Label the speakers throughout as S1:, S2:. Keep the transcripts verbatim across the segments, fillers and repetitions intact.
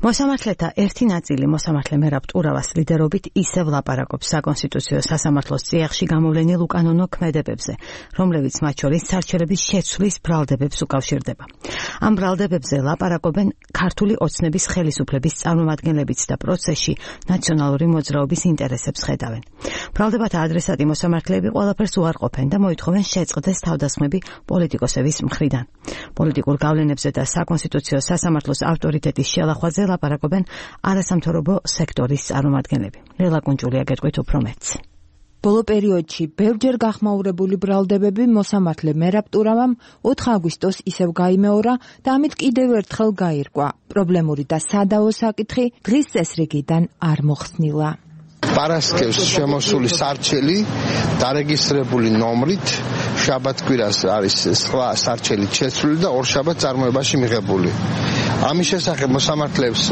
S1: მოსამართლეთა ერთი ნაწილი მოსამართლე მერაბ ტურავას ლიდერობით ისევ ლაპარაკობს საკონსტიტუციო სასამართლოს წიაღში გამოვლენილ უკანონო ქმედებებზე, რომლებიც მათ შორის სარჩელების შეცვლის ბრალდებებს უკავშირდება. Ამ ბრალდებებზე ლაპარაკობენ ქართული ოცნების ხელისუფლების წარმომადგენლებიც და პროცესში ნაციონალური მოძრაობის ინტერესებს ხედავენ. ბრალდებათა ადრესატი მოსამართლეები ყველაფერს უარყოფენ და მოითხოვენ შეწყდეს თავდასხმები პოლიტიკოსების მხრიდან. პოლიტიკურ გავლენებზე და საკონსტიტუციო სასამართლოს ავტორიტეტის შელახვაზე ლაპარაკობენ არასამთავრობო სექტორის წარმომადგენლები. ლელა კუნჭულია გეტყვით უფრო მეტს.
S2: ბოლო პერიოდში ბევრჯერ გახმაურებული ბრალდებები მოსამართლე მერაბ ტურავამ ოთხ აგვისტოს ისევ გაიმეორა და ამით კიდევ ერთხელ გაირკვა. პრობლემური და სადავო საკითხი დღის წესრიგიდან არ მოხსნილა.
S3: პარასკევს შემოსული სარჩელი დარეგისტრირებული ნომრით შაბათ-კვირას არის სხვა სარჩელი შეცვლილი და ორშაბათ წარმოებაში მიღებული. ამის შესახებ მოსამართლეებს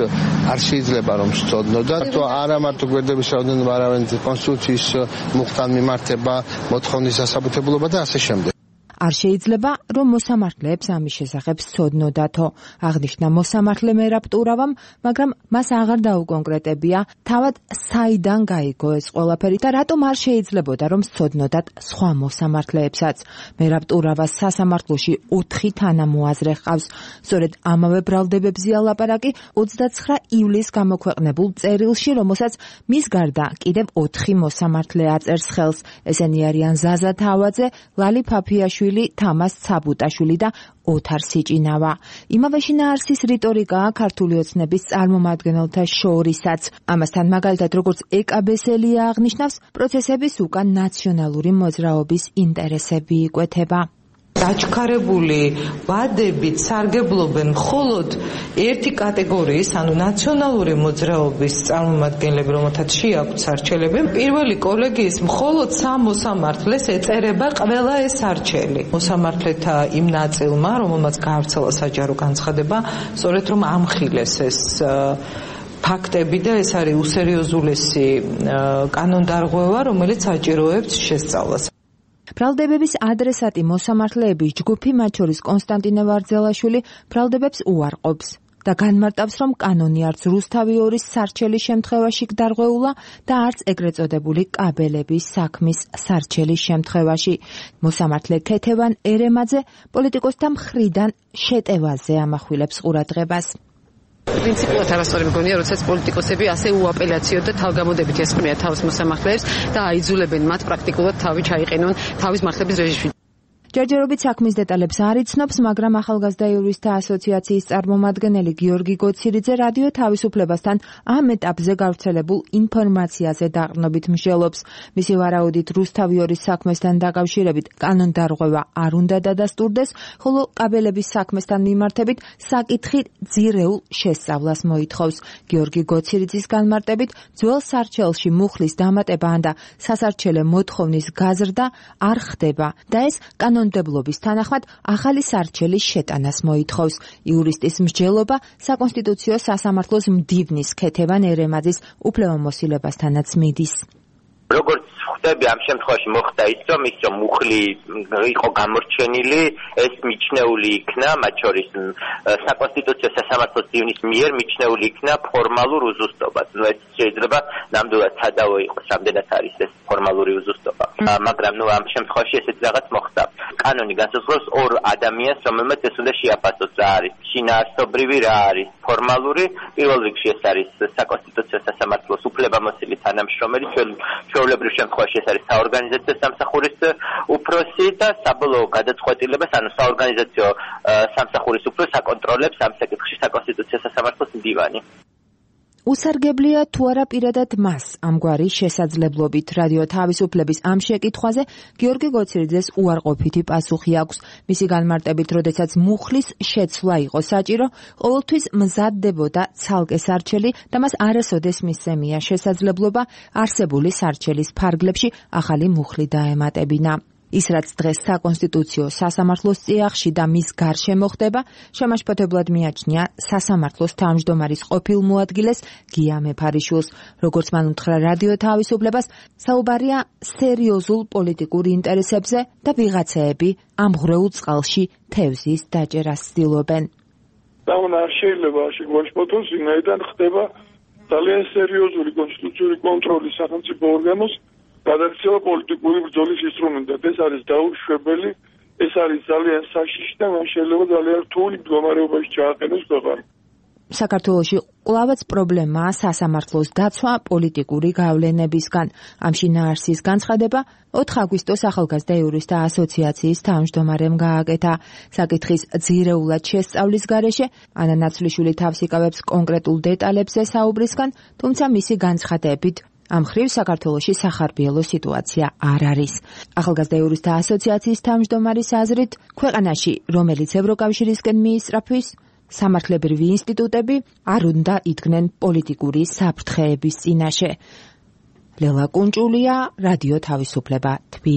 S3: არ შეიძლება რომ სწოდნოდა, თუ არა მარტო გვერდების რაოდენობა, არამედ კონსტიტუციის მუხტან მიმართება, მოთხოვნის დასაბუთებულობა და ასე შემდეგ.
S2: არ შეიძლება რომ მოსამართლეებს ამის შესახებ სწოდნოდათო, აღნიშნა მოსამართლე მერაბ ტურავამ, მაგრამ მას აღარ დაუკონკრეტებია თავად საიდან გაიგო ეს ყველაფერი და რატომ არ შეიძლებოდა რომ სწოდნოდათ სხვა მოსამართლეებსაც. მერაბ ტურავას სასამართლოში ოთხი თანამოაზრე ჰყავს. სწორედ ამავე ბრალდებებზეა ლაპარაკი ოცდაცხრა ივლისს გამოქვეყნებულ წერილში, რომელსაც მის გარდა კიდევ ოთხი მოსამართლე აწერს ხელს. ესენი არიან ზაზა თავაძე, ლალი ფაფიაშვილი, თამას ცაბუტაშვილი და ოთარ სიჭინავა. იმავე შინაარსის რიტორიკაა ქართული ოცნების წარმომადგენელთა შორისაც. ამასთან მაგალითად როგორც ეკაბესელია აღნიშნავს, პროცესების უკან ნაციონალური მოძრაობის ინტერესები იკვეთება.
S4: დაჩქარებული ვადებით სარგებლობენ მხოლოდ ერთი კატეგორიის, ანუ ნაციონალური მოძრაობის წარმომადგენლები, რომელთაც შეაქვთ სარჩელები. პირველი კოლეგიის მხოლოდ სამ მოსამართლეს ეწერება ყველა ეს სარჩელი. მოსამართლეთა იმ ნაწილმა, რომელმაც გაავრცელა საჯარო განცხადება, სწორედ რომ ამხილეს ეს ფაქტები და ეს არის უსერიოზულესი კანონდარღვევა, რომელიც საჭიროებს შესწავლას.
S2: ბრალდებების ადრესატი მოსამართლეების ჯგუფი, მათ შორის კონსტანტინე ვარძელაშვილი, ბრალდებებს უარყოფს და განმარტავს, რომ კანონი არც რუსთავი ორის სარჩელის შემთხვევაში გდარღვეულა და არც ეგრეთ წოდებული კაბელების საქმის სარჩელის შემთხვევაში. მოსამართლე ქეთევან ერემაძე პოლიტიკოსთა მხრიდან შეტევაზე ამახვილებს ყურადღებას.
S5: პრინციპულად არასწორი მგონია, როდესაც პოლიტიკოსები ასე უაპელაციოდ და თავგამოდებით ესხმიან თავს მოსამართლეებს და აიძულებენ მათ პრაქტიკულად თავი ჩაიყენონ თავის მართლების რეჟიმში.
S2: ჯერჯერობით საქმის დეტალებს არ იცნობს, მაგრამ ახალგაზრდა იურისტთა ასოციაციის წარმომადგენელი გიორგი გოცირიძე რადიო თავისუფლებასთან ამ ეტაპზე გავრცელებულ ინფორმაციაზე დაყრდნობით მსჯელობს. მისი ვარაუდით რუსთავი ორის საქმესთან დაკავშირებით კანონდარღვევა არ უნდა დადასტურდეს, ხოლო კაბელების საქმესთან მიმართებით საკითხი ძირეულ შესწავლას მოითხოვს. გიორგი გოცირიძის განმარტებით, ძველ სარჩელში მუხლის დამატება და სასარჩელე მოთხოვნის გაზრდა არ ხდება და ეს კანონ კანონმდებლობის თანახმად ახალი სარჩელის შეტანას მოითხოვს. იურისტის მსჯელობა საკონსტიტუციო სასამართლოს მდივნის ქეთევან ერემაძის უფლებამოსილებასთანაც მიდის.
S6: როგორც ხვდები, ამ შემთხვევაში მოხდა ის, რომ ის რომ მუხლი იყო გამორჩენილი, ეს მიჩნეული იქნა, მათ შორის საკონსტიტუციო სასამართლოს მდივნის მიერ მიჩნეული იქნა ფორმალურ უზუსტობას. ნუ ეს შეიძლება ნამდვილად სადავო იყოს, რამდენად არის ეს ფორმალური უზუსტობა. მაგრამ ნუ ამ შემთხვევაში ესეთი რაღაც მოხდა. კანონი განსაზღვრავს ორ ადამიანს, რომელმაც ეს უნდა შეაფასოს, რა არის შინაარსობრივი, რა არის ფორმალური. პირველ რიგში ეს არის საკონსტიტუციო სასამართლოს უფლებამოსილი თანამშრომელი, ჩვეულებრივ შემთხვევაში ეს არის საორგანიზაციო სამსახურის უფროსი და საბოლოო გადაწყვეტილებას, ანუ საორგანიზაციო სამსახურის უფროსს აკონტროლებს ამ საკითხში საკონსტიტუციო სასამართლოს მდივანი.
S2: უსარგებლია თუ არა პირადად მას ამგვარი შესაძლებლობით. რადიო თავისუფლების ამ შეკითხვაზე გიორგი გოცირიძეს უარყოფითი პასუხი აქვს. მისი განმარტებით, როდესაც მუხლის შეცვლა იყო საჭირო, ყოველთვის მზადდებოდა ცალკე სარჩელი და მას არასოდეს მისცემია შესაძლებლობა არსებული სარჩელის ფარგლებში ახალი მუხლი დაემატებინა. ის რაც დღეს საკონსტიტუციო სასამართლოს წიაღში და მის გარშემო ხდება, შემაშფოთებლად მიაჩნია სასამართლოს თავმჯდომარის ყოფილ მოადგილეს გია მეფარიშვილს. როგორც მან უთხრა რადიო თავისუფლებას, საუბარია სერიოზულ პოლიტიკურ ინტერესებზე და ვიღაცეები ამ ღრეულ წყალში თევზის დაჭერას ცდილობენ.
S7: და არ შეიძლება შეგვაშფოთოს, ვინაიდან ხდება ძალიან სერიოზული კონსტიტუციური კონტროლი სახელმწიფო ორგანოს გადაქცევა პოლიტიკური ბრძოლის ინსტრუმენტად. ეს არის დაუშვებელი, ეს არის ძალიან საშიში და მან შეიძლება ძალიან რთული მდგომარეობაში ჩააყენოს ქვეყანა.
S2: საქართველოში კვლავაც პრობლემაა სასამართლოს დაცვა პოლიტიკური გავლენებისგან. ამ შინაარსის განცხადება ოთხ აგვისტოს ახალგაზრდა იურისტთა ასოციაციის თავმჯდომარემ გააკეთა. საკითხის ძირეულად შესწავლის გარეშე ანა ნაცვლიშვილი თავს იკავებს კონკრეტულ დეტალებზე საუბრისგან, თუმცა მისი განცხადებით ამ მხრივ საქართველოში სახარბიელო სიტუაცია არ არის. ახალგაზრდა იურისტთა ასოციაციის თავმჯდომარის აზრით, ქვეყანაში, რომელიც ევროკავშირისკენ მიისწრაფვის, სამართლებრივი ინსტიტუტები არ უნდა იდგნენ პოლიტიკური საფრთხეების წინაშე. ლელა კუნჭულია, რადიო თავისუფლება, თბილისი.